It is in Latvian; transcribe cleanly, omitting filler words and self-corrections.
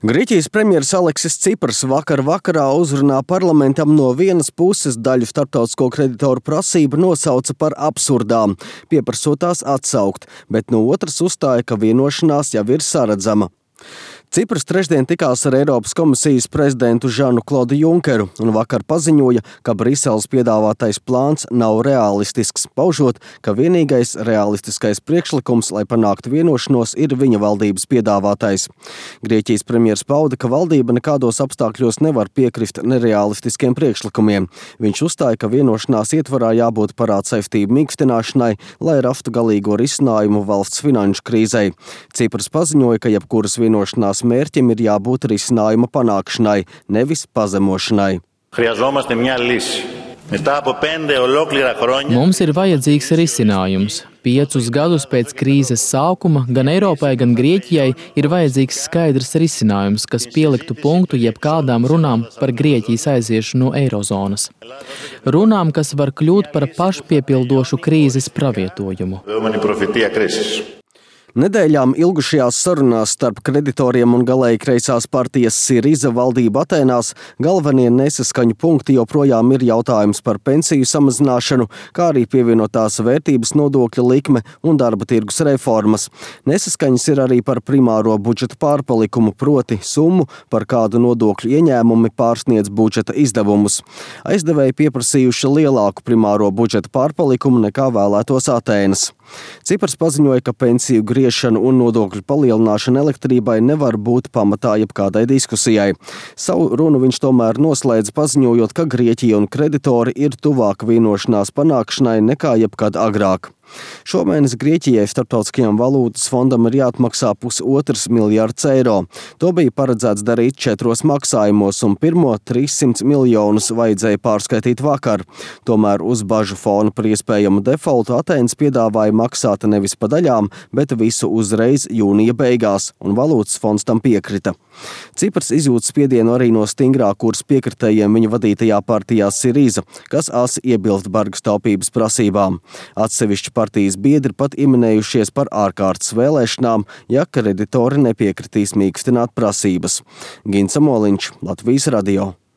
Grieķijas premjeras Aleksis Cipras vakarā uzrunā parlamentam no vienas puses daļu starptautisko kreditoru prasību nosauca par absurdām, pieprasot tās atsaukt, bet no otras uzstāja, ka vienošanās jau ir saredzama. Cipras trešdien tikās ar Eiropas komisijas prezidentu Žanu-Klodu Junkeru un vakar paziņoja, ka Briseles piedāvātais plāns nav realistisks, paužot, ka vienīgais realistiskais priekšlikums, lai panāktu vienošanos, ir viņa valdības piedāvātais. Grieķijas premjers pauda, ka valdība nekādos apstākļos nevar piekrist nerealistiskiem priekšlikumiem. Viņš uzstāja, ka vienošanās ietvarā jābūt parādsaistību mīkstināšanai, lai rastu galīgo risinājumu valsts finanšu krīzei. Cipras paziņoja, ka jebkuras vienošanās mērķim ir jābūt risinājuma panākšanai, nevis pazemošanai. Mums ir vajadzīgs risinājums. 5 gadus pēc krīzes sākuma gan Eiropai, gan Grieķijai ir vajadzīgs skaidrs risinājums, kas pieliktu punktu jebkādām runām par Grieķijas aiziešanu no eirozonas. Runām, kas var kļūt par pašpiepildošu krīzes pravietojumu. Nedēļām ilgušajās sarunās starp kreditoriem un galēji kreisās partijas Siriza valdību Atēnās galvenie nesaskaņu punkti joprojām ir jautājums par pensiju samazināšanu, kā arī pievienotās vērtības nodokļa likme un darba tirgus reformas. Nesaskaņas ir arī par primāro budžeta pārpalikumu, proti summu, par kādu nodokļu ieņēmumi pārsniedz budžeta izdevumus. Aizdevēji pieprasījuši lielāku primāro budžeta pārpalikumu nekā vēlētos Atēnas. Cipars paziņoja, ka pensiju griešana un nodokļu palielināšana elektrībai nevar būt pamatā jebkādai diskusijai. Savu runu viņš tomēr noslēdz paziņojot, ka Grieķija un kreditori ir tuvāk vienošanās panākšanai nekā jebkad agrāk. Šomēnes Grieķijai Starptautiskajam valūtas fondam ir jāatmaksā 1,5 miljards eiro. To bija paredzēts darīt 4 maksājumos, un pirmo 300 miljonus vajadzēja pārskaitīt vakar. Tomēr uz bažu fona par iespējamu defoltu Atēnas piedāvāja maksāt nevis pa daļām, bet visu uzreiz jūnija beigās, un valūtas fonds tam piekrita. Cipras izjūt spiedienu arī no stingrā kursa piekritējiem viņa vadītajā partijā Siriza, kas asi iebilst bargas taupības prasībām. Atsevišķi partijas biedri pat ieminējušies par ārkārtas vēlēšanām, ja kreditori nepiekritīs mīkstināt prasības. Gins Amoliņš, Latvijas radio.